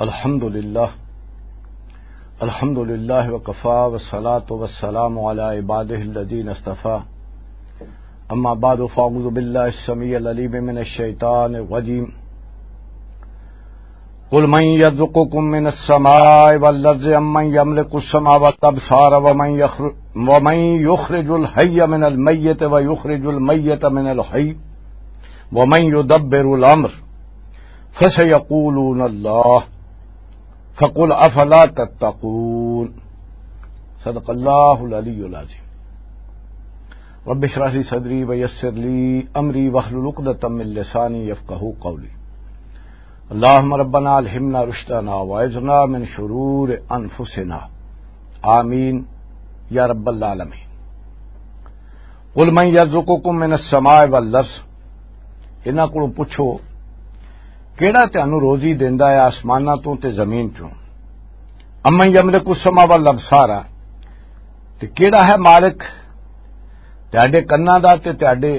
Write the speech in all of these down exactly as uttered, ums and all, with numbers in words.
الحمد لله. الحمد لله وكفى، والصلاة والسلام على عباده الذين اصطفى. أما بعد، فأعوذ بالله السميع العليم من الشيطان الرجيم. قل من يرزقكم من السماء والأرض أمن يملك السمع والأبصار ومن يخر-، ومن يخرج الحي من الميت ويخرج الميت من الحي ومن يدبر الأمر فسيقولون الله فقل أفلا تتقون. صدق الله العلي العظيم. رب اشرح لي صدري ويسر لي أمري واحلل عقدة من لساني يفقهوا قولي. اللهم ربنا ألهمنا رشدنا وأعذنا من شرور أنفسنا. آمين يا رب العالمين. قل من يرزقكم من السماء والأرض، انہاں کولوں پوچھو، کیڑا تانوں روزی دیندا ہے آسماناں توں تے زمین چوں؟ امن یملک السماء والابصار، تے کیڑا ہے مالک تہاڈے کناں دا تے تہاڈے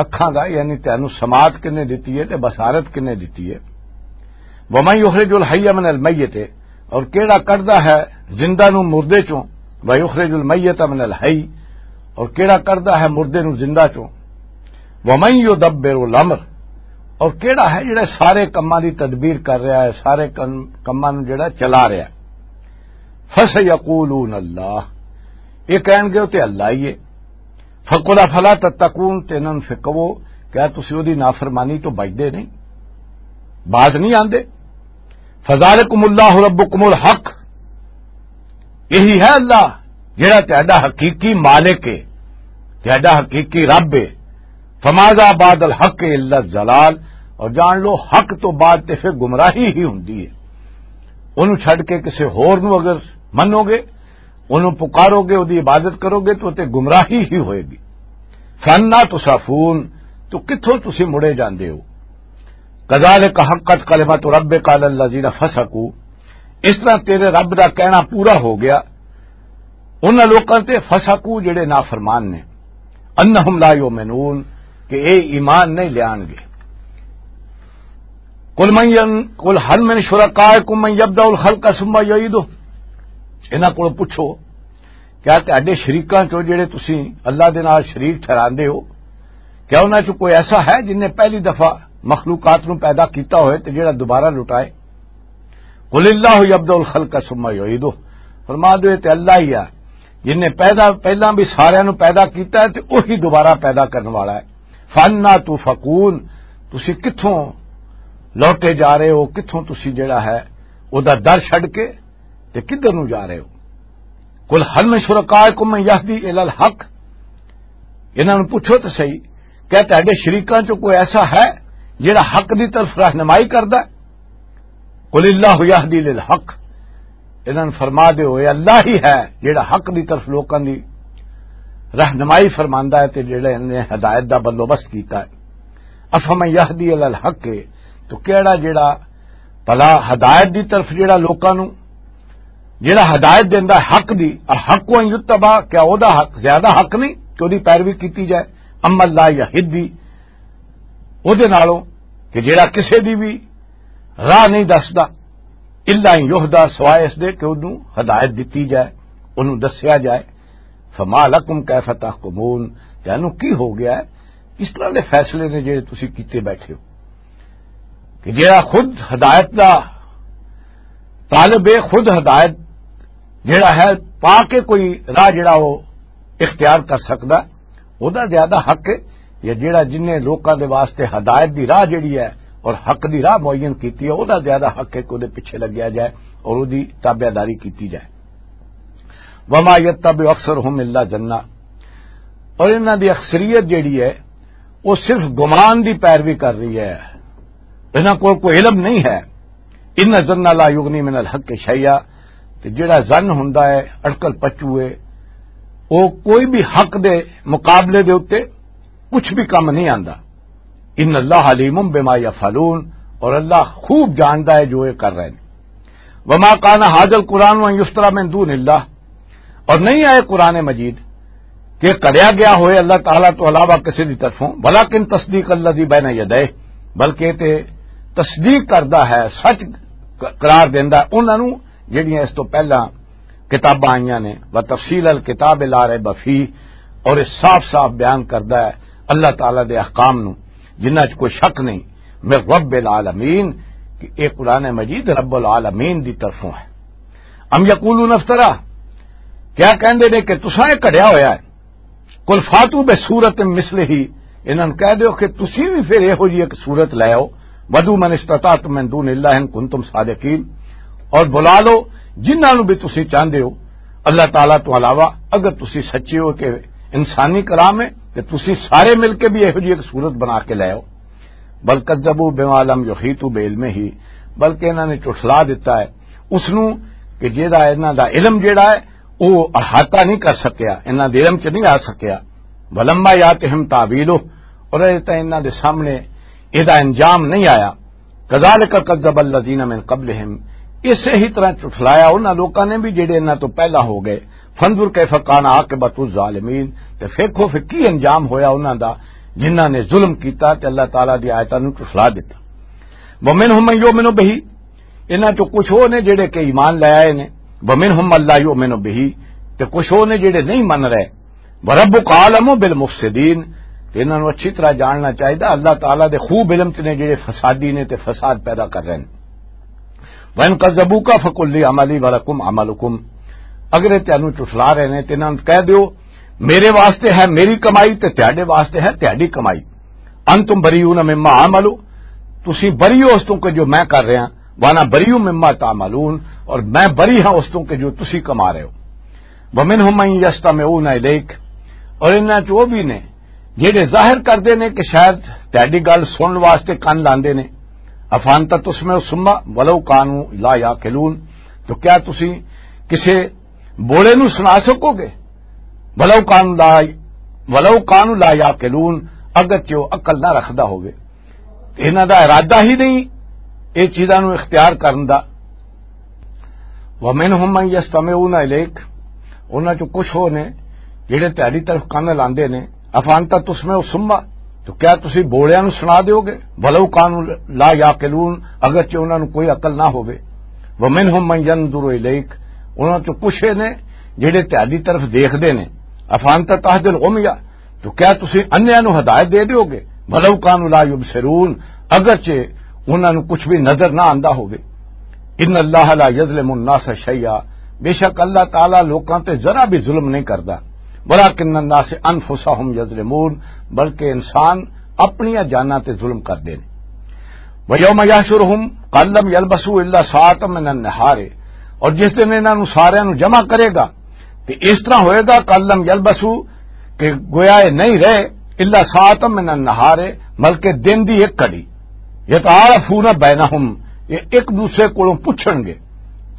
اکھاں دا، یعنی تانوں سماعت کنے دتی ہے تے بصارت کنے دتی ہے؟ ومن یخرج الحی من المیت، اور کیڑا کڈدا ہے زندہ نو مردے چوں؟ ویخرج المیت من الحی، اور کیڑا کڈدا ہے مردے نو زندہ چوں؟ ومن یدبر الامر، اور کیڑا ہے جڑا سارے کماں دی تدبیر کر رہا ہے، سارے کم-، کماں نو جڑا چلا رہا ہے؟ فسیقولون اللہ، یہ کہن گے تے اللہ ہی ہے۔ فقل افلا تتقون، تے انہاں نوں پھر کہو، کیا تسی اودی نافرمانی تو بچدے نہیں، باز نہیں آندے؟ فذالکم اللہ ربکم الحق، یہی ہے اللہ جڑا تہاڈا حقیقی مالک ہے، تہاڈا حقیقی رب ہے۔ فماذا بعد الحق الا الضلال، اور جان لو حق تو بعد تے پھر گمراہی ہی ہوندی ہے۔ اونوں چھڈ کے کسے ہور نوں اگر منو گے، اونوں پکارو گے، اودی عبادت کرو گے تو تے گمراہی ہی ہوئے گی۔ فانا تصرفون، تو کتھوں تسی مڑے جاندے ہو؟ کذالک حقت کلمۃ ربک علی الذین فسقوا، اس طرح تیرے رب دا کہنا پورا ہو گیا انہاں لوکاں تے، فسقوا، جڑے نافرمان نے، انہم لا یؤمنون، کہ اے ایمان نہیں لیان گے۔ قل من ین-، قل هل من شرکائکم من یبدأ الخلق ثم یعیدہ، انہاں کولوں پوچھو، کیا تہاڈے شریکاں چوں جڑے تسی اللہ دے نال شریک ٹھہراندے ہو، کیا انہاں چوں کوئی ایسا ہے جن نے پہلی دفعہ مخلوقات نو پیدا کیتا ہوئے تے جڑا دوبارہ لٹائے؟ قل اللہ یبدأ الخلق ثم یعیدہ، فرما دو، یہ تے اللہ ہی ہے جن نے پیدا، پہلاں بھی ساریاں نو پیدا کیتا ہے تے وہی دوبارہ پیدا کرن والا ہے۔ فانا تؤفکون، تسی کتھوں لوٹے جا رہے ہو، کتھوں تسی جڑا ہے او دا در چھڈ کے تے کدھر نوں جا رہے ہو؟ قل هل من شرکائکم من یہدی الی الحق، انہاں نوں پوچھو تے صحیح، کیا تہاڈے شریکاں چوں کوئی ایسا ہے جڑا حق دی طرف رہنمائی کردا ہے؟ قل اللہ یہدی للحق، انہاں نوں فرما دیو، اے اللہ ہی ہے جڑا حق دی طرف لوکاں دی رہنمائی فرماندا ہے تے جڑے نے ہدایت دا بندوبست کیتا ہے۔ افمن یہدی الی الحق، تو کیڑا جڑا بھلا ہدایت دی طرف جڑا لوکاں نوں، جڑا ہدایت دیندا ہے حق دی، الحق ان یتبع، کیا او دا حق زیادہ حق نہیں کہ اودی پیروی کیتی جائے؟ امن لا یہدی، او دے نالوں کہ جڑا کسے دی بھی راہ نہیں دسدا، الا ان یہدی، سوائے اس دے کہ اونوں ہدایت دتی جائے، اونوں دسیا جائے۔ فما لکم کیف تحکمون، تانوں کی ہو گیا ہے؟ اس طرح دے فیصلے نے جڑے تسی کیتے بیٹھے ہو کہ جڑا خود ہدایت دا طالب ہے، خود ہدایت جڑا ہے پا کے کوئی راہ جڑا وہ اختیار کر سکدا، او دا زیادہ حق ہے، یا جڑا جن نے لوکاں دے واسطے ہدایت دی راہ جڑی ہے اور حق دی راہ معین کیتی ہے، او دا زیادہ حق ہے کہ او دے پیچھے لگیا جائے اور او دی تابعداری کیتی جائے۔ وما یتبع اکثرهم الا ظنا، اور انہاں دی اکثریت جڑی ہے وہ صرف گمان دی پیروی کر رہی ہے، انہاں کول کوئی علم نہیں ہے۔ ان الظن لا یغنی من الحق شیئا، تے جڑا ظن ہوندا ہے اٹکل پچو ہے، وہ کوئی بھی حق دے مقابلے دے اُتے کچھ بھی کم نہیں آندا۔ ان اللہ علیم بما یفعلون، اور اللہ خوب جاندا ہے جو یہ کر رہے ہیں۔ وما کان ھذا القرآن ان یفترا من دون اللہ، اور نہیں آئے قرآن مجید کہ کریا گیا ہوئے اللہ تعالیٰ تو علاوہ کسی دی طرفوں، ولیکن تصدیق الذی بین یدیہ، بلکہ تے تصدیق کردا ہے، سچ ق-، قرار دیندا ہے انہاں نوں، جڑیاں اس تو پہلاں کتاباں آئیاں نے۔ و تفصیل الکتاب لا ریب فیہ، اور یہ صاف صاف بیان کردا ہے اللہ تعالیٰ دے احکام نوں، جنہاں چ کوئی شک نہیں، من رب العالمین، کہ یہ قرآن مجید رب العالمین دی طرفوں ہے۔ ام یقولون افترا، کیا کہندے نے کہ تساں یہ کڑیا ہویا ہے؟ قل فاتوا بسورۃ مثلہ، انہاں نوں کہہ دیو کہ تسی بھی پھر یہو جی ایک صورت لے آؤ، ودعوا من استطعتم من دون اللہ ان کنتم صادقین، اور بلا لو جنہاں نوں بھی تسی چاہندے ہو اللہ تعالیٰ تو علاوہ، اگر تسی سچے ہو کہ انسانی کلام ہے، تے تسی سارے مل کے بھی یہو جی ایک صورت بنا کے لے آؤ۔ بل کذبوا بما لم یحیطوا بعلمہ، بلکہ انہاں نے جھٹلا دتا ہے اس نوں کہ جیڑا انہاں دا علم جیڑا ہے، وہ احاطہ نہیں کر سکیا، انہاں دے علم چ نہیں آ سکیا۔ ولما یاتہم تاویلہ، اور اے تاں انہاں دے سامنے اے دا انجام نہیں آیا۔ کذالک کذب الذین من قبلہم، اسے ہی طرح جھٹلایا انہاں لوکاں نے بھی جڑے انہاں تو پہلا ہو گئے۔ فانظر کیف کان عاقبۃ الظالمین، تے ویکھو پھر کی انجام ہویا انہاں دا جنہاں نے ظلم کیتا تے اللہ تعالیٰ دی آیتاں نوں جھٹلا دتا۔ ومنہم من یؤمن بہ، انہاں چوں کچھ وہ نے جڑے کہ ایمان لے آئے نے۔ ومنہم من لا یؤمن بہ، تے کچھ وہ نے جڑے نہیں من رہے۔ وربک اعلم بالمفسدین، تے انہاں نوں اچھی طرح جاننا چاہیدا اللہ تعالیٰ دے خوب علم چ نے جڑے فسادی نے تے فساد پیدا کر رہے ہیں۔ وَإِن كَذَّبُوكَ فَقُل لِّي عَمَلِي وَلَكُمْ عَمَلُكُمْ، اگر یہ تینوں چٹلا رہے نے تے انہاں نوں کہہ دیو، میرے واسطے ہے میری کمائی تے تہاڈے واسطے ہے تہاڈی کمائی۔ أَنتُمْ بَرِيئُونَ مِمَّا أَعْمَلُ، تسی بری ہو اس تو کہ جو میں کر رہا، وَأَنَا بَرِيءٌ مِّمَّا تَعْمَلُونَ، اور میں بری ہاں اس تو کہ جو تسی کما رہے ہو۔ وَمِنْهُمْ مَن يَسْتَمِعُونَ إِلَيْكَ، اور انہاں چ وہ بھی نے جڑے ظاہر کردے نے کہ شاید تہاڈی گل سنن واسطے کن لاندے نے۔ أَفَأَنتَ تُسْمِعُ الصُّمَّ وَلَوْ كَانُوا لَا يَعْقِلُونَ، تو کیا تسی کسے بوڑے نو سنا سکو گے؟ وَلَوْ كَانُوا لَا، وَلَوْ كَانُوا لَا يَعْقِلُونَ، اگرچہ وہ عقل نہ رکھدا ہووے۔ انہاں دا ارادہ ہی نہیں اے چیزاں نوں اختیار کرن دا۔ وَمِنْهُمْ مَنْ يَسْتَمِعُونَ إِلَيْكَ، انہاں چوں کچھ ہو نے جڑے تہاڈی طرف کن لاندے نے۔ أَفَأَنتَ تُسْمِعُ الصُّمَّ، تو کیا تسی بوڑیاں نوں سنا دیو گے؟ وَلَوْ كَانُوا لَا يَعْقِلُونَ، اگرچہ انہاں نوں کوئی عقل نہ ہووے۔ وَمِنْهُمْ مَنْ يَنْظُرُ إِلَيْكَ، انہاں چوں کچھ نے جڑے تہاڈی طرف دیکھدے نے۔ أَفَأَنتَ تَهْدِي الْعُمْيَ، تو کیا تسی انہیاں نوں ہدایت دے دیو گے؟ وَلَوْ كَانُوا لَا يُبْصِرُونَ، اگرچہ انہاں نوں کچھ بھی نظر نہ آندا ہووے۔ إِنَّ اللَّهَ لَا يَظْلِمُ النَّاسَ شَيْئًا، بے شک اللہ تعالیٰ لوکاں تے ذرا بھی ظلم نہیں کردا۔ وَلَٰكِنَّ النَّاسَ أَنفُسَهُمْ يَظْلِمُونَ، بلکہ انسان اپنیاں جاناں تے ظلم کردے نے۔ وَيَوْمَ يَحْشُرُهُمْ كَأَن لَّمْ يَلْبَثُوا إِلَّا سَاعَةً مِّنَ النَّهَارِ، اور جس دن انہاں نوں ساریاں نوں جمع کرے گا، تے اس طرح ہوئے گا، کلم یلبسو، کہ گویا یہ نہیں رہے، الا ساعتا من النہار، بلکہ دن دی ایک گھڑی، یتعارفون بینہم، یہ ایک دوسرے کولوں پوچھن گے،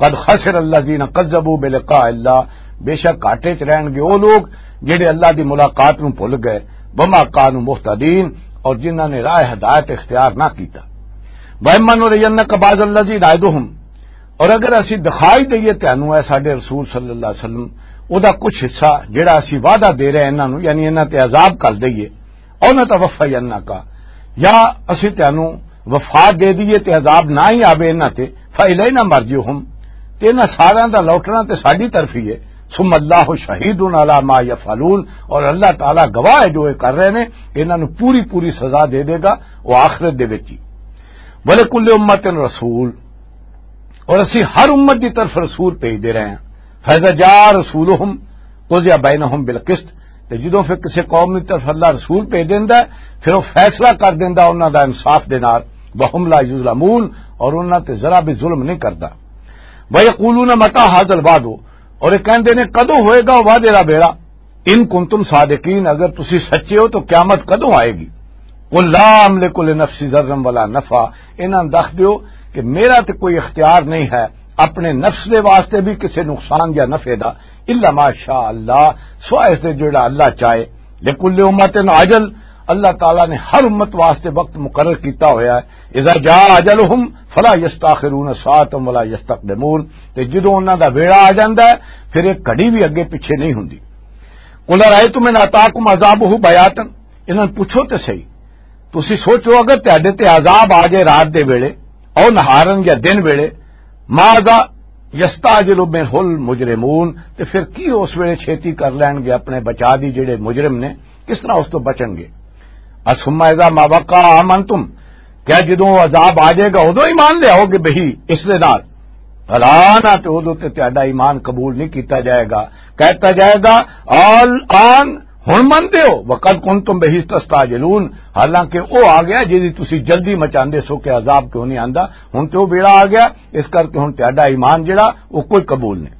قد خسر الذین کذبوا بلقاء اللہ، بے شک گھاٹے چ رہن گے وہ لوگ جڑے اللہ دی ملاقات نوں بھول گئے، وما کانوا مہتدین، اور جنہاں نے راہ ہدایت اختیار نہ کیتا۔ وَإِمَّا نُرِيَنَّكَ بَعْضَ الَّذِي نَعِدُهُمْ، اور اگر اسی دکھائی دئیے تینوں، اے ساڈے رسول صلی اللہ علیہ وسلم، او دا کچھ حصہ جڑا اسی وعدہ دے رہے ہیں انہاں نوں، یعنی انہاں تے عذاب کر دئیے، او نہ توفینکا، یا اسی تینوں وفات دے دئیے تے عذاب نہ ہی آوے انہاں تے، فَإِلَيْنَا مَرْجِعُهُمْ، تے انہاں ساراں دا لوٹنا تے ساڈی طرف ہی ہے، ثُمَّ اللَّهُ شَهِيدٌ عَلَىٰ مَا يَفْعَلُونَ، اور اللہ تعالیٰ گواہ ہے جو یہ کر رہے ہیں، انہاں نوں پوری پوری سزا دے دے گا وہ آخرت دے وچ ہی۔ وَلِكُلِّ أُمَّةٍ رَسُولٌ، اور اسی ہر امت دی طرف رسول بھیج دے رہے ہیں۔ فَإِذَا جَاءَ رَسُولُهُمْ قُضِيَ بَيْنَهُمْ بِالْقِسْطِ، تے جدوں پھر کسی قوم دی طرف اللہ رسول بھیج دیندا ہے، پھر وہ فیصلہ کر دیندا انہاں دا انصاف دے نال، وَهُمْ لَا يُظْلَمُونَ، اور انہاں تے ذرا بھی ظلم نہیں کردا۔ وَيَقُولُونَ مَتَىٰ هَٰذَا الْوَعْدُ، اور یہ کہندے نے، کدوں ہوئے گا وعدے دا بیڑا؟ ان کنتم صادقین، اگر تسی سچے ہو تو قیامت کدوں آئے گی؟ قل لا املک لنفسی ضرا ولا نفعا، انہاں دس دیو کہ میرا تے کوئی اختیار نہیں ہے اپنے نفس دے واسطے بھی کسے نقصان یا نفع دا، الا ما شاء اللہ، سوائے اس دے جڑا اللہ چاہے۔ لکل امت اجل، اللہ تعالیٰ نے ہر امت واسطے وقت مقرر کیتا ہویا ہے۔ اذا جاء اجلہم فلا یستاخرون ساعتا ولا یستقدمون، تے جدوں انہاں دا ویڑا آ جاندا ہے، پھر ایک گھڑی بھی اگے پیچھے نہیں ہوندی۔ قل ارأیتم ان اتاکم عذابہ بیاتن، انہاں نوں پوچھو تے صحیح، تسی سوچو اگر تہاڈے تے عذاب آ جائے رات دے ویلے، او نہارن یا دن ویلے، ماذا یستعجل منہ المجرمون، تے پھر کی اس ویلے چھیتی کر لین گے اپنے بچا دی جڑے مجرم نے، کس طرح اس تو بچن گے؟ ثم اذا ما وقع آمنتم، کیا جدوں وہ عذاب آ جائے گا ادوں ایمان لے آؤ گے بہی اس دے نال؟ فلا، نہ تے ادوں تے تہاڈا ایمان قبول نہیں کیتا جائے گا۔ کہتا جائے گا، الآن، ہن مندے ہو؟ وقد کنتم بہی تستعجلون، حالانکہ او آ گیا جدی تسی جلدی مچاندے سو کہ عذاب کیوں نہیں آندا۔ ہن تے او ویلا آ گیا، اس کر کے ہن تہاڈا ایمان جڑا او کوئی قبول نہیں۔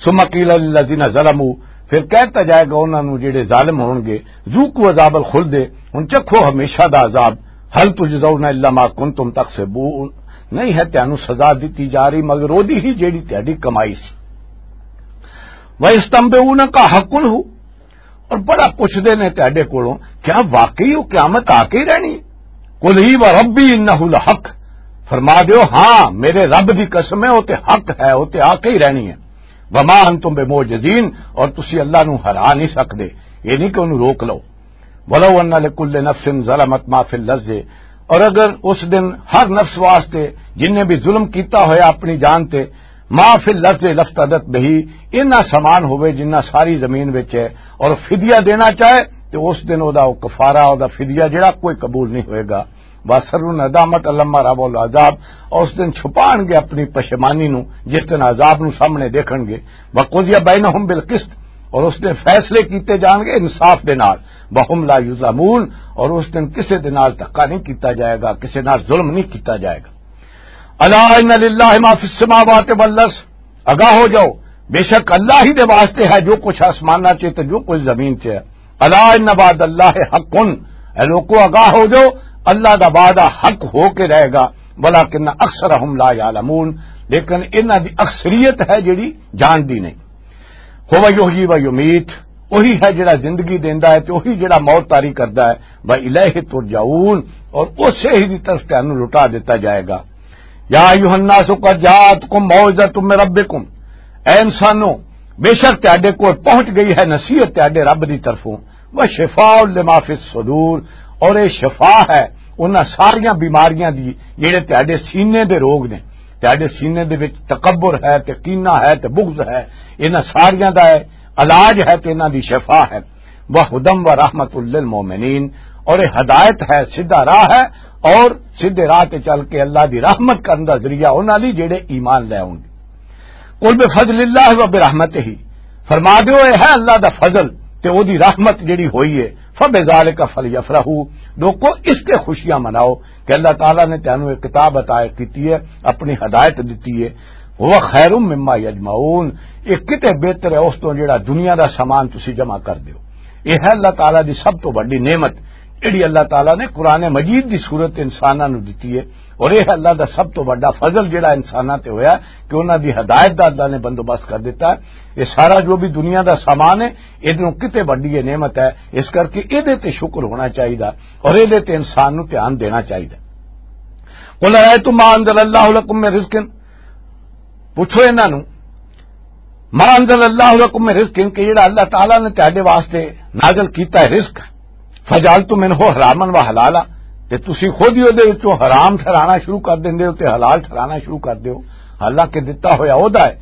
ثم قیل للذین ظلموا، پھر کہتا جائے گا انہاں نوں جڑے ظالم ہون گے، ذوقوا عذاب الخلد، ہن چکھو ہمیشہ دا عذاب، هل تجزون الا ما کنتم تکسبون، نہیں ہے تانوں سزا دتی جا رہی مگر اودی ہی جیڑی تہاڈی کمائی سی۔ وَيَسْتَنْبِئُونَكَ أَحَقٌّ هُوَ، اور بڑا پوچھدے نے تہاڈے کولوں، کیا واقعی وہ قیامت آ کے ہی رہنی ہے؟ قُلْ إِي وَرَبِّي إِنَّهُ لَحَقٌّ، فرما دیو، ہاں، میرے رب دی قسم ہے، وہ تے حق ہے، وہ تے آ کے ہی رہنی ہے۔ وَمَا أَنْتُمْ بِمُعْجِزِينَ، اور تسی اللہ نو ہرا نہیں سکدے، یہ نہیں کہ انہوں روک لو۔ وَلَوْ أَنَّ لِكُلِّ نَفْسٍ ظَلَمَتْ مَا فِي الْأَرْضِ، اور اگر اس دن ہر نفس واسطے جن نے بھی ظلم کیتا ہویا اپنی جان تے، ما فی الارض لفتدت بہی، اینا سامان ہوئے جنہ ساری زمین وچ ہے، اور فدیہ دینا چاہے، تے اس دن او دا او کفارہ، او دا فدیہ جڑا کوئی قبول نہیں ہوئے گا۔ واسر الندامت لما رأوا العذاب، اور اس دن چھپان گے اپنی پشیمانی نو، جس دن عذاب نو سامنے دیکھن گے۔ وقضی بینہم بالقسط، اور اس دن فیصلے کیتے جان گے انصاف دے نال۔ وہم لا یظلمون، اور اس دن کسے دے نال دھکا نہیں کیتا جائے گا، کسے نال ظلم نہیں کیتا جائے گا۔ الا ان للہ ما فی السماوات والارض، آگاہ ہو جاؤ، بے شک اللہ ہی دے واسطے ہے جو کچھ آسماناں چ تے جو کچھ زمین چ ہے۔ الا ان وعد اللہ حق، اے لوکو آگاہ ہو جاؤ، اللہ دا وعدہ حق ہو کے رہے گا، ولکن اکثرہم لا یعلمون، لیکن انہاں دی اکثریت ہے جڑی جاندی نہیں۔ هو یحیی و یمیت، وہی ہے جڑا زندگی دیندا ہے تے وہی جڑا موت طاری کردا ہے۔ و الیہ ترجعون، اور اسے ہی دی طرف تانوں لٹا دیتا جائے گا۔ یا ایھا الناس قد جاءتکم موعظۃ من ربکم، اے انسانو، بے شک تہاڈے کول پہنچ گئی ہے نصیحت تہاڈے رب دی طرفوں۔ و شفاء لما فی الصدور، اور اے شفا ہے انہاں ساریاں بیماریاں دی جڑے تہاڈے سینے دے روگ نے۔ تہاڈے سینے دے وچ تکبر ہے تے کینہ ہے تے بغض ہے، انہاں ساریاں دا ہے علاج ہے تے انہاں دی شفا ہے۔ وہدی و رحمت للمؤمنین، اور یہ ہدایت ہے، سیدھا راہ ہے، اور سیدھے راہ تے چل کے اللہ دی رحمت کرن دا ذریعہ انہاں لئی جڑے ایمان لے آون گے۔ قل بفضل اللہ و برحمتہ، فرما دیو، اے ہے اللہ دا فضل تے او دی رحمت جڑی ہوئی ہے، فبذالک فلیفرحوا، لوکو، اس تے خوشیاں مناؤ کہ اللہ تعالیٰ نے تینوں ایک کتاب عطا کیتی ہے، اپنی ہدایت دتی ہے۔ هو خیر مما یجمعون، یہ کتے بہتر ہے اس تو جڑا دنیا دا سامان تسی جمع کر دیو۔ یہ ہے اللہ تعالیٰ دی سب تو بڑی نعمت، جڑی اللہ تعالیٰ نے قرآن مجید دی صورت انساناں نو دتی ہے، اور یہ ہے اللہ دا سب تو بڑا فضل جڑا انساناں تے ہویا کہ انہاں دی ہدایت دا اللہ نے بندوبست کر دیتا ہے۔ یہ سارا جو بھی دنیا دا سامان ہے، ادھروں کتے بڑی یہ نعمت ہے، اس کر کے ادھے تے شکر ہونا چاہیے اور ادھے تے انسان نو دھیان دینا چاہیے۔ قل ارأيتم ما أنزل الله لكم من رزق، پوچھو انہاں نو، ما انزل اللہ لکم من رزق، کہ جڑا اللہ تعالیٰ نے تہاڈے واسطے نازل کیتا ہے رزق، فجعلتم منه حراما وحلالا، تے تسی خود ہی اودے وچوں حرام ٹھہرانا شروع کر دیندے ہو تے حلال ٹھہرانا شروع کر دیو، حالانکہ دتا ہویا اودا ہے،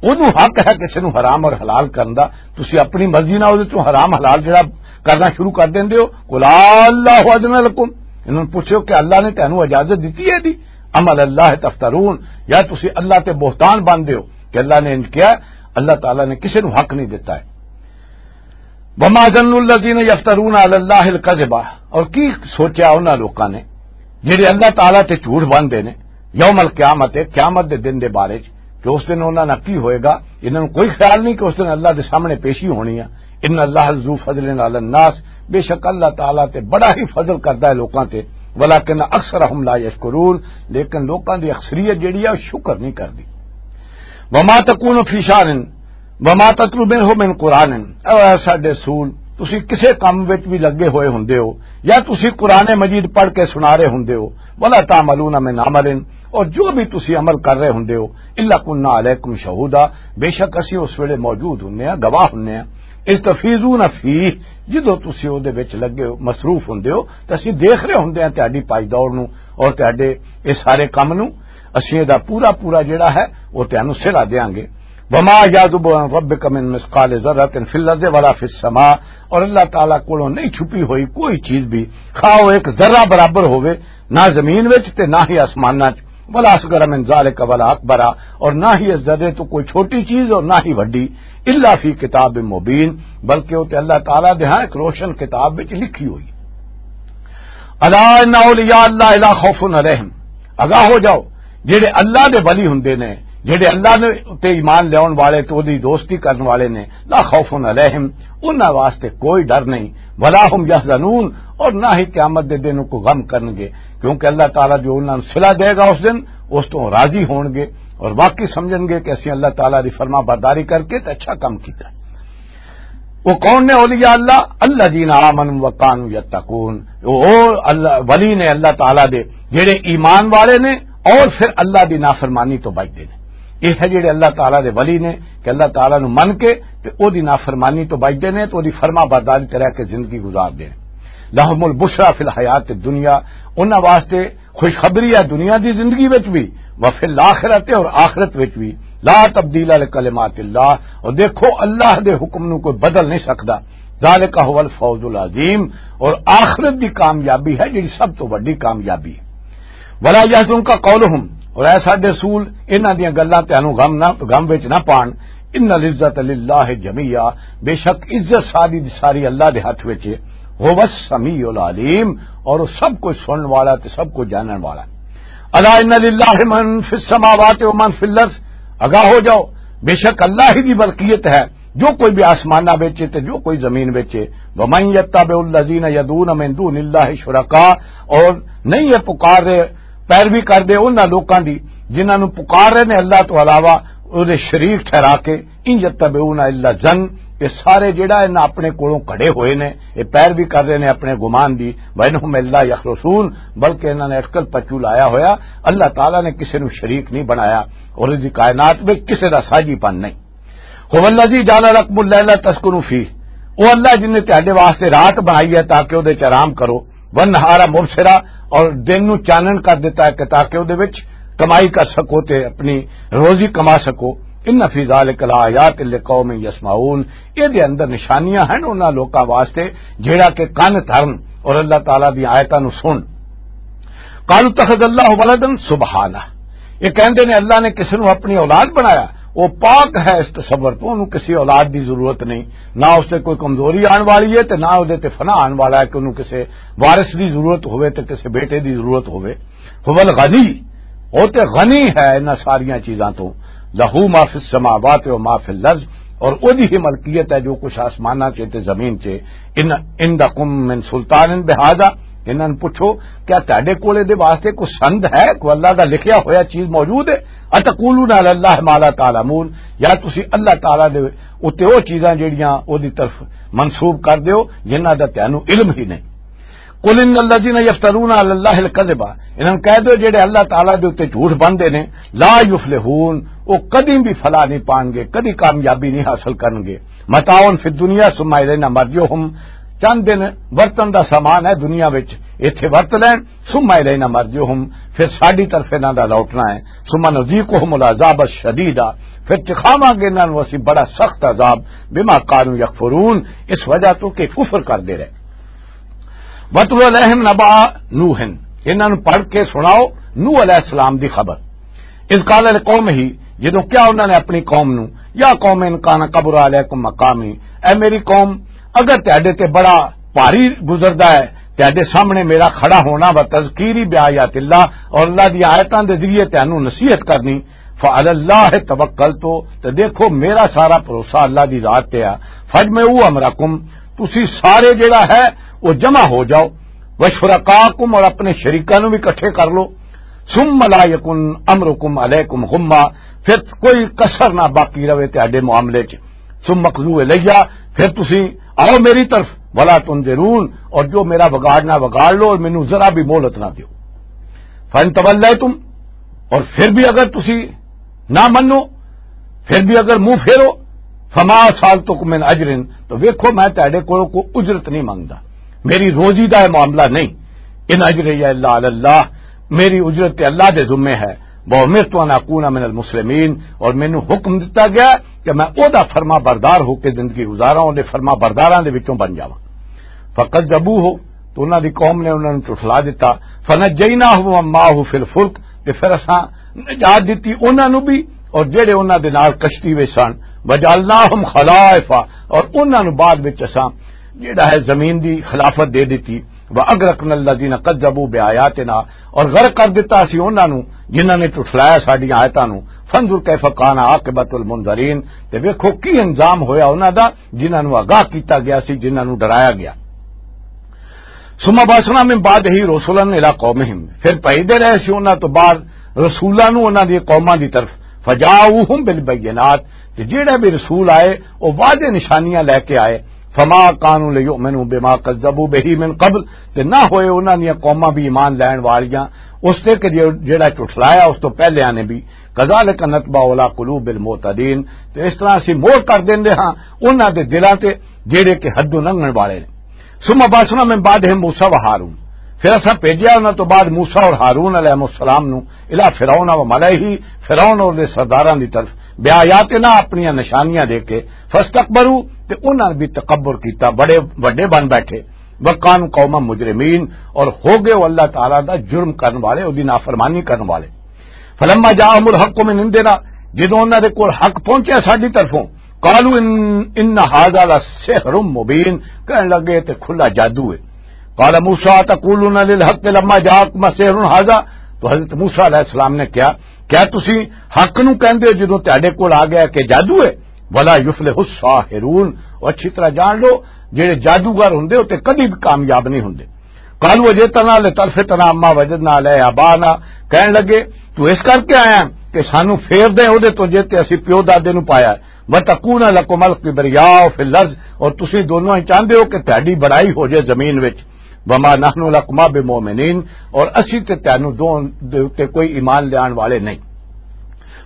اودوں حق ہے کسے نو حرام اور حلال کرن دا، تسی اپنی مرضی نال اودے چوں حرام حلال جڑا کرنا شروع کر دیندے ہو۔ قل اللہ اذن لکم، انہاں نوں پوچھو کہ اللہ نے تانوں اجازت دتی ہے دی؟ ام علی اللہ تفترون، یا تسی اللہ تے بہتان باندھدے ہو کہ اللہ نے انج کیا؟ اللہ تعالیٰ نے کسے نوں حق نہیں دتا ہے۔ وما ظن الذین یفترون علی اللہ الکذب، اور کی سوچیا انہاں لوکاں نے جڑے اللہ تعالیٰ تے جھوٹ باندھدے نے، یوم القیامت، قیامت دے دن دے بارے چ، کہ اس دن انہاں نال کی ہوئے گا؟ انہاں نوں کوئی خیال نہیں کہ اس دن اللہ دے سامنے پیشی ہونی ہے۔ ان اللہ ذو فضل علی الناس، بے شک اللہ تعالیٰ تے بڑا ہی فضل کردا ہے لوکاں تے، ولکن اکثرہم لا یشکرون، لیکن لوکاں دی اکثریت جڑی ہے، وہ شکر نہیں کردی۔ وما تکون فی شأن وما تتلو منہ من قرآن، اے ساڈے رسول، تسی کسے کم وچ بھی لگے ہوئے ہوندے ہو، یا تسی قرآن مجید پڑھ کے سنا رہے ہوندے ہو، ولا تعملون من عمل، اور جو بھی تسی عمل کر رہے ہوندے ہو، الا کنا علیکم شہودا، بے شک اسی اس ویلے موجود ہوندے ہاں، گواہ ہوندے ہاں۔ اذ تفیضون فیہ، جدوں تسی او دے وچ لگے ہو، مصروف ہوندے ہو، تے اسی دیکھ رہے ہوندے ہاں تہاڈی پائی دور نو اور تہاڈے اے سارے کم نو۔ اسیں دا پورا پورا جڑا ہے، وہ تینوں سلا دیاں گے۔ وما یعزب عن ربک من مثقال ذرۃ فی الارض ولا فی السماء، اور اللہ تعالیٰ کولوں نہیں چھپی ہوئی کوئی چیز بھی، خواہ وہ ایک ذرہ برابر ہوئے، نہ زمین وچ تے نہ ہی آسماناں وچ، ولا اصغر من ذالک ولا اکبر، اور نہ ہی اس ذرے تو کوئی چھوٹی چیز اور نہ ہی وڈی، الا فی کتاب مبین، بلکہ وہ تے اللہ تعالیٰ دے ہاں ایک روشن کتاب وچ لکھی ہوئی۔ الا ان اولیاء اللہ لا خوف علیہم، آگاہ ہو جاؤ، جڑے اللہ دے ولی ہوندے نے، جڑے اللہ نے تے ایمان لیاون والے تے اودی دوستی کرن والے نے، لا خوف علیہم، انہاں واسطے کوئی ڈر نہیں، ولا هم یحزنون، اور نہ ہی قیامت دے دن کو غم کرن گے، کیونکہ اللہ تعالیٰ جو انہاں نوں صلہ دے گا اس دن، اس تو راضی ہون گے اور واقعی سمجھن گے کہ اسی اللہ تعالیٰ دی فرما برداری کر کے تے اچھا کام کیتا۔ وہ کون نے اولیاء اللہ؟ الذین آمنوا وکانوا یتقون۔ وہ اللہ، ولی نے اللہ تعالیٰ دے جڑے ایمان والے نے اور پھر اللہ دی نافرمانی تو بچدے نے۔ یہ ہے جڑے اللہ تعالیٰ دے ولی نے کہ اللہ تعالیٰ نو من کے تے او دی نافرمانی تو بچدے نے، تو او دی فرما برداری تے رہ کے زندگی گزار دے۔ لہم البشری فی الحیات الدنیا، انہاں واسطے خوشخبری ہے دنیا دی زندگی وچ بھی، وفی الآخرت، اور آخرت وچ بھی۔ لا تبدیل لکلمات اللہ، اور دیکھو اللہ دے حکم نو کوئی بدل نہیں سکدا۔ ذالک هو الفوز العظیم، اور آخرت دی کامیابی ہے جڑی سب تو وڈی کامیابی ہے۔ ولا یحزنک قولہم، اور اے ساڈے رسول، انہاں دیاں گلاں تانوں غم نہ، غم وچ نہ پان۔ ان العزت للہ جمیعا، بے شک عزت ساری دی ساری اللہ دے ہاتھ وچ ہے۔ هو السمیع العلیم، اور وہ سب کچھ سنن والا تے سب کچھ جانن والا ہے۔ الا ان للہ من فی السماوات و من فی الارض، آگاہ ہو جاؤ، بے شک اللہ ہی دی ملکیت ہے جو کوئی بھی آسمانہ وچ ہے تے جو کوئی زمین وچ ہے۔ ومن یتبع الذین یدعون من دون اللہ شرکاء، اور نہیں ہے پکار رہے، پیروی کر دے انہاں لوکاں دی جنہاں نوں پکار رہے نے اللہ تو علاوہ، او دے شریک ٹھہرا کے۔ ان یتبعون الا الظن، یہ سارے جڑا انہاں اپنے کولوں کھڑے ہوئے نے، یہ پیروی کر رہے نے اپنے گمان دی۔ وان هم الا یخرصون، بلکہ انہاں نے اٹکل پچو لایا ہویا۔ اللہ تعالیٰ نے کسے نوں شریک نہیں بنایا اور اس دی کائنات وچ کسے دا ساجی پن نہیں۔ هو الذی جعل لکم اللیل تسکنوا فیہ، او اللہ جن نے تہاڈے واسطے رات بنائی ہے تاکہ او دے وچ آرام کرو، والنہار مبصرا، اور دن نو چانن کر دیتا ہے کہ تاکہ او دے وچ کمائی کر سکو تے اپنی روزی کما سکو۔ ان فی ذلک لآیات لقوم یسمعون، اے دے اندر نشانیاں ہیں انہاں لوکاں واسطے جڑا کہ کن دھرن اور اللہ تعالیٰ دی آیتاں نو سن۔ قالوا اتخذ اللہ ولدا، سبحانہ، یہ کہندے نے اللہ نے کسی نو اپنی اولاد بنایا۔ وہ پاک ہے اس تصور تو، انہوں کسی اولاد دی ضرورت نہیں، نہ اس تے کوئی کمزوری آن والی ہے تے نہ اس تے فنا آن والا ہے کہ انہوں کسی وارث دی ضرورت ہوئے تے کسی بیٹے دی ضرورت ہوئے۔ هو الغنی، وہ تے غنی ہے انہاں ساریاں چیزاں تو۔ لہو ما فی السماوات و ما فی الارض، اور او دی ہی ملکیت ہے جو کچھ آسماناں چ تے زمین چ۔ ان عندکم من سلطان بہذا، انہاں نوں پوچھو، کیا تہاڈے کول دے واسطے کوئی سند ہے، کوئی اللہ دا لکھیا ہویا چیز موجود ہے؟ اتقولون علی اللہ ما لا تعلمون، یا تسی اللہ تعالیٰ دے اُتے او چیزاں جڑیاں او دی طرف منسوب کر دیو جنہاں دا تانوں علم ہی نہیں۔ قل ان الذین یفترون علی اللہ الکذب، انہاں نوں کہہ دیو جڑے اللہ تعالیٰ دے اُتے جھوٹ بندے نے، لا یفلحون، او کدی بھی فلاح نہیں پان گے، کدی کامیابی نہیں حاصل کرن گے۔ متاع فی الدنیا ثم الینا مرجعہم، چند دن ورتن دا سامان ہے دنیا وچ، ایتھے ورت لین، ثم الینا مرجعہم، پھر ساڈی طرف انہاں دا لوٹنا ہے، ثم نذیقہم العذاب الشدید، پھر چکھاواں گے انہاں نوں اسی بڑا سخت عذاب، بما کانوا یکفرون، اس وجہ تو کہ کفر کردے رہے۔ وَاتْلُ عَلَيْهِمْ نَبَأَ نُوحٍ، انہاں نوں پڑھ کے سناؤ نوح علیہ السلام دی خبر۔ اذ قال لقومہ، جدوں کیا انہاں نے اپنی قوم نوں، یا قوم ان کان کبر علیکم مقامی، اے میری قوم، اگر تہاڈے تے بڑا بھاری گزردا ہے تہاڈے سامنے میرا کھڑا ہونا، و تذکیری بآیات اللہ، اور اللہ دی آیتاں دے ذریعے تانوں نصیحت کرنی، فعلی اللہ توکلت، تے دیکھو میرا سارا بھروسہ اللہ دی ذات تے ہے۔ فاجمعوا امرکم، تسی سارے جڑا ہے وہ جمع ہو جاؤ، وشرکاکم، اور اپنے شریکاں نوں بھی اکٹھے کر لو، ثم لا یکن امرکم علیکم غمہ، پھر کوئی کسر نہ باقی رہے تہاڈے معاملے چ۔ ثم اقضوا الیہ، پھر تسی آؤ میری طرف، ولا تنظرون، اور جو میرا وگاڑنا وگاڑ لو اور مینوں ذرا بھی مہلت نہ دیو۔ فَإِن تَوَلَّيْتُمْ، اور پھر بھی اگر تسی نہ منو، پھر بھی اگر منہ پھیرو، فما سالتکم من اجر، تو ویکھو میں تہاڈے کولوں کوئی اجرت نہیں منگدا، میری روزی دا یہ معاملہ نہیں۔ ان اجری الا علی اللہ، میری اجرت تے اللہ دے ذمے ہے۔ وَأُمِرْتُ أَنْ أَكُونَ مِنَ الْمُسْلِمِينَ، اور مینوں حکم دتا گیا کہ میں او دا فرما بردار ہو کے زندگی گزاراں، او دے فرما برداراں دے وچوں بن جاواں۔ فَكَذَّبُوهُ، تو انہاں دی قوم نے انہاں نوں جھٹلا دتا۔ فَنَجَّيْنَاهُ وَمَنْ مَعَهُ فِي الْفُلْكِ، تے پھر اساں نجات دتی انہاں نوں بھی اور جڑے انہاں دے نال کشتی وچ سن۔ وَجَعَلْنَاهُمْ خَلَائِفَ، اور انہاں نوں بعد وچ اساں جڑا ہے زمین دی خلافت دے دتی۔ وَأَغْرَقْنَا الَّذِينَ كَذَّبُوا بِآيَاتِنَا، اور غرق کر دتا اسی انہاں نوں جنہاں نے جھٹلایا ساڈیاں آیتاں نوں۔ فَانْظُرْ كَيْفَ كَانَ عَاقِبَةُ الْمُنذَرِينَ، تے ویکھو کی انجام ہویا انہاں دا جنہاں نوں آگاہ کیتا گیا سی، جنہاں نوں ڈرایا گیا۔ ثم بعثنا من بعده رسلا الى قومهم، پھر بھیجدے رہے سی انہاں تو بعد رسولاں نوں انہاں دی قوماں دی طرف۔ فجاؤوهم بالبينات، تے جیڑے بھی رسول آئے، او واضح نشانیاں لے کے آئے۔ فما كانوا ليؤمنوا بما كذبوا به من قبل، تے نہ ہوئے انہاں دیاں قوماں بھی ایمان لین والیاں اس تے کہ جے-، جیڑا جھٹلایا اس تو پہلے آنے بھی۔ كذلك نطبع على قلوب المعتدين، تے اس طرح اسی مور کر دیندے ہاں انہاں دے دلاں تے جیڑے کہ حدوں لنگھن والے نے۔ ثم بعثنا من بعدهم موسى وهارون، پھر اساں بھیجیا انہاں تو بعد موسیٰ اور ہارون علیہ السلام نو، الی فرعون و ملئہ، فرعون اور دے سرداراں دی طرف، بیااتنا، اپنیاں نشانیاں دے کے، فاستکبروا، تے انہاں نے بھی تکبر کیتا، بڑے وڈے بن بیٹھے، وکانوا قوما مجرمین، اور ہو گئے وہ اللہ تعالیٰ دا جرم کرن والے، او دی نافرمانی کرن والے۔ فلما جاءهم الحق من عندنا، جدوں انہاں دے کول حق پہنچیا ساڈی طرفوں، قالوا ان، ان هذا لسحر مبين، کہن لگے تے کھلا جادو ہے۔ قال موسیٰ تقولون للحق لما جاءكم سحر هذا، تو حضرت موسیٰ علیہ السلام نے کہا، کیا تسی حق نو کہندے ہو جدوں تہاڈے کول آ گیا کہ جادو ہے؟ ولا يفلح الساحرون، اور اچھی طرح جان لو، جڑے جادوگر ہوندے ہو تے کدی بھی کامیاب نہیں ہوندے۔ قالوا اجئتنا لتلفتنا عما وجدنا عليه آباءنا، کہن لگے، تو اس کر کے آیا ہے کہ سانو پھیر دے او دے تو جے تے اسی پیو دادے نو پایا ہے۔ وتكون لكم الكبرياء في الأرض، اور تسی دونوں ہی چاہندے ہو کہ تہاڈی بڑائی ہو جائے زمین وچ۔ وما نحن لكما بمؤمنين، اور اسی تے تینوں دو دے اُتے کوئی ایمان لیان والے نہیں۔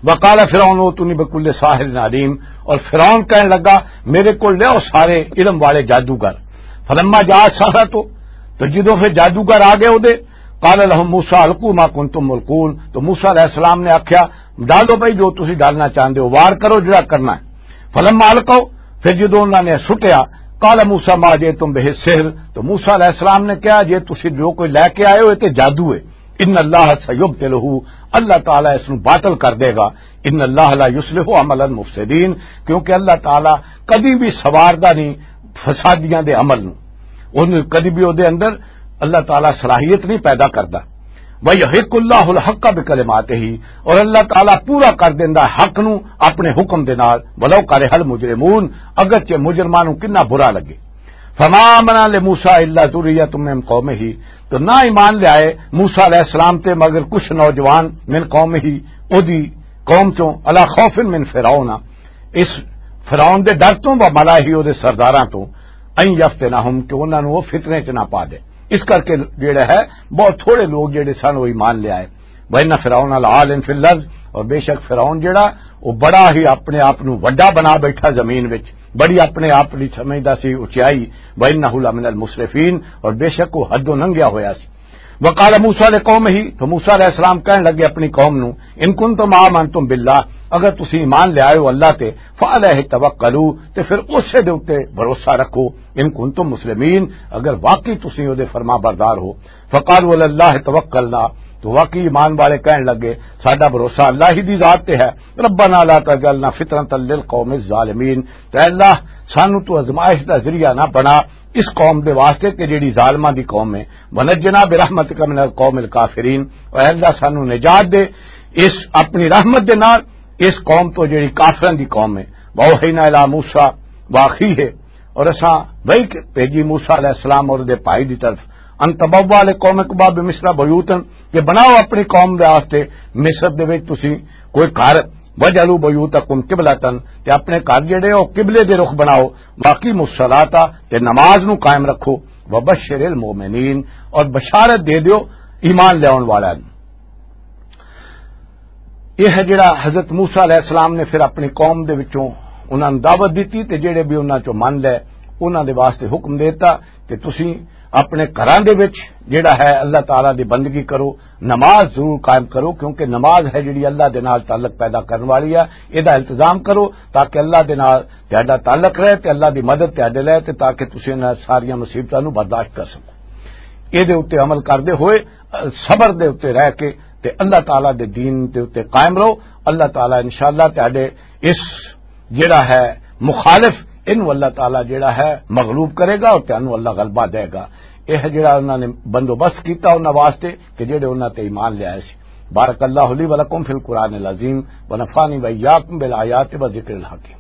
وقال فرعون ائتوني بكل ساحر عليم، اور فرعون کہن لگا، میرے کو لیاؤ سارے علم والے جادوگر۔ فلما جاء السحرة، تو جدوں پھر جادوگر آ گئے اودے، قال لهم موسى القوا ما كنتم ملقون، تو موسی علیہ السلام نے آکھیا، ڈالو بھائی جو تسی ڈالنا چاہندے ہو، وار کرو جڑا کرنا ہے۔ فلما القوا، پھر جدوں انہاں نے سٹیا، قال موسى ما جئتم به السحر، تو موسی علیہ السلام نے کہا، جے تسی جو کوئی لے کے آئے ہو، یہ تے جادو ہے۔ ان اللہ سیبطلہ، اللہ تعالیٰ اس نو باطل کر دے گا۔ ان اللہ لا یصلح عمل المفسدین، کیونکہ اللہ تعالیٰ کدی بھی سواردا نہیں فسادیاں دے عمل نو۔ اون کدی بھی اودے اندر اللہ تعالیٰ صلاحیت نہیں پیدا کردا۔ وَيُحِقُّ اللَّهُ الْحَقَّ بِكَلِمَاتِهِ، اور اللہ تعالیٰ پورا کر دیندا حق نو اپنے حکم دے نال، وَلَوْ كَرِهَ الْمُجْرِمُونَ، اگرچہ مجرماں نو کنا برا لگے۔ فما آمن لموسیٰ الا ذریۃ من قومہ، تو نہ ایمان لے آئے موسیٰ علیہ السلام تے مگر کچھ نوجوان، من قومہ، اودی قوم چوں، علی خوف من فرعون، اس فرعون دے ڈر توں، و ملائہ، اودے سرداراں توں، ان یفتنہم، کہ انہاں نوں وہ فتنے چ نہ پا دے۔ اس کر کے جڑا ہے، بہت تھوڑے لوگ جڑے سن وہ ایمان لے آئے۔ وَإِنَّ فِرْعَوْنَ لَعَالٍ فِي الْأَرْضِ، اور بے شک فرعون جڑا، وہ بڑا ہی اپنے آپ نو وڈا بنا بیٹھا زمین وچ، بڑی اپنے آپ دی سمجھدا سی اچائی۔ وَإِنَّهُ لَمِنَ الْمُسْرِفِينَ، اور بے شک وہ حدوں لنگھیا ہویا سی۔ وَقَالَ مُوسَىٰ لِقَوْمِهِ، تو موسیٰ علیہ السلام کہن لگے اپنی قوم نو، إِن كُنتُمْ آمَنْتُمْ بِاللَّهِ، اگر تسی ایمان لے آئے ہو اللہ تے، فَعَلَيْهِ تَوَكَّلُوا، تے پھر اسے دے اُتے بھروسہ رکھو، إِن كُنتُمْ مُسْلِمِينَ، اگر واقعی تسی او دے فرما بردار ہو۔ فقالوا على الله توكلنا، تو واقعی ایمان والے کہن لگے، ساڈا بھروسہ اللہ ہی دی ذات تے ہے۔ ربنا لا تجعلنا فتنة للقوم الظالمين، تے اللہ، سانو تو آزمائش دا ذریعہ نہ بنا اس قوم دے واسطے کہ جڑی ظالماں دی قوم ہے۔ ونجنا برحمتك من القوم الكافرين، اے اللہ، سانو نجات دے اس اپنی رحمت دے نال اس قوم تو جڑی کافراں دی قوم ہے۔ واوحینا الی موسیٰ واخیہ، اور اساں وحی بھیجی موسیٰ علیہ السلام اور دے بھائی دی طرف، ان تبوا لقومکما بمصر بیوتا، کہ بناؤ اپنی قوم دے واسطے مصر دے وچ تسی کوئی گھر، واجعلوا بیوتکم قبلۃ، تے اپنے گھر جڑے او قبلے دے رخ بناؤ، واقیموا الصلاۃ، تے نماز نو قائم رکھو، وبشر المؤمنین، اور بشارت دے دیو ایمان لیاون والیاں نوں۔ یہ ہے جڑا حضرت موسیٰ علیہ السلام نے پھر اپنی قوم دے وچوں انہاں نوں دعوت دتی تے جڑے بھی انہاں چوں من لے، انہاں دے واسطے حکم دیتا کہ تسی اپنے گھراں دے وچ جڑا ہے اللہ تعالیٰ دی بندگی کرو، نماز ضرور قائم کرو، کیونکہ نماز ہے جڑی اللہ دے نال تعلق پیدا کرن والی ہے۔ اے دا التزام کرو تاکہ اللہ دے نال تہاڈا تعلق رہے تے اللہ دی مدد تہاڈے لے تے تاکہ تسی انہاں ساریاں مصیبتاں نوں برداشت کر سکو۔ اے دے اُتے عمل کردے ہوئے، صبر دے اُتے رہ کے تے اللہ تعالیٰ دے دین دے اُتے قائم رہو۔ اللہ تعالیٰ انشاءاللہ تہاڈے اس جڑا ہے مخالف، انہوں اللہ تعالیٰ جڑا ہے مغلوب کرے گا اور تینوں اللہ غلبہ دے گا۔ یہ جڑا انہوں نے بندوبست کیتا انہوں واسطے کہ جڑے انہوں تے ایمان لے آئے سی۔ بارک اللہ لی ولکم فی القرآن العظیم، ونفعنی وإیاکم بالآیات و ذکر الحکیم۔